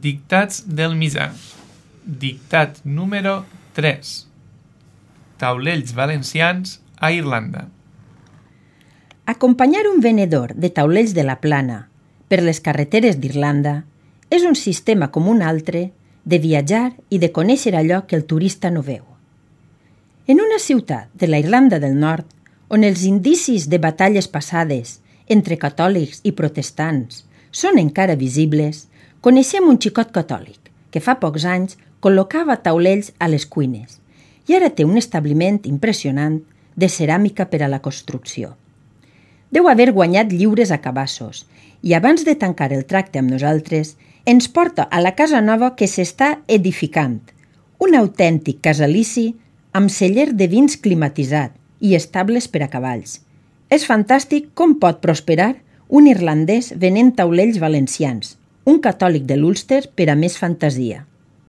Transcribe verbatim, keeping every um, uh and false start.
Dictats del missal. Dictat número tres. Taulells valencians a Irlanda. Acompanyar un venedor de taulells de la Plana per les carreteres d'Irlanda és un sistema com un altre de viatjar i de conèixer allò que el turista no veu. En una ciutat de la Irlanda del Nord, on els indicis de batalles passades entre catòlics i protestants són encara visibles, coneixem un xicot catòlic que fa pocs anys col·locava taulells a les cuines i ara té un establiment impressionant de ceràmica per a la construcció. Deu haver guanyat lliures a cabassos i abans de tancar el tracte amb nosaltres ens porta a la casa nova que s'està edificant, un autèntic casalici amb celler de vins climatitzat i estables per a cavalls. És fantàstic com pot prosperar un irlandès venent taulells valencians, un catòlic de l'Ulster per a més fantasia.